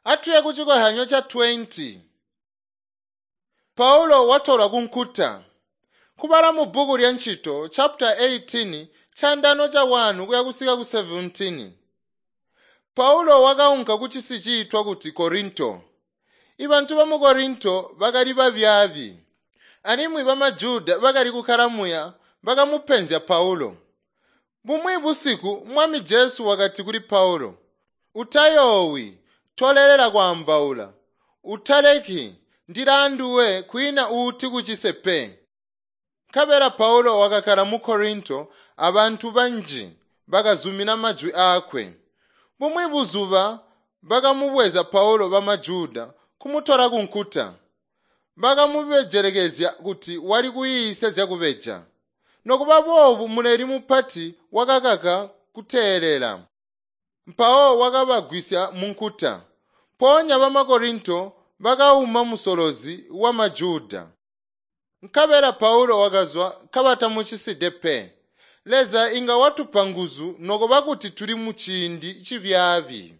Atuye kucikohyanyo ca 20. Paulo watolwa kunkuta. Kubala mu bbuku lya Ncito chapter 18 chandano cha 1 kuya kusika ku 17. Paulo wakaunka ku cisi ciitwa kuti Korinto. Ibantu ba mu Korinto bakali babyaabi. Alimwi bamaJuda bakali kukkala muya bakamupenzya Paulo. Bumwi busiku Mwami Jesu wakati kuli Paulo, "Utayoowi, tolelela kwaambaula. Utaleki, ndilaanduwe kwiina uuti kucise pe." Nkabela Paulo wakakkala mu Korinto abantu banji bakazumina majwi aakwe. Bumwi buzuba bakamubweza Paulo bamaJuda kumutola kunkuta. Bakamubejelekezya kuti wali kuyiisya zyakubeja. Nokuba boobu muleli mupati wakakaka kuteelela. Mpawo wakabagwisya munkuta. Mpoonya bamakorinto bakauma musolozi wa Majuda. Nkabela Paulo wakazwa kabatamuciside pe. Leza inga watupa nguzu nokuba kuti tuli muciindi cibyaabi.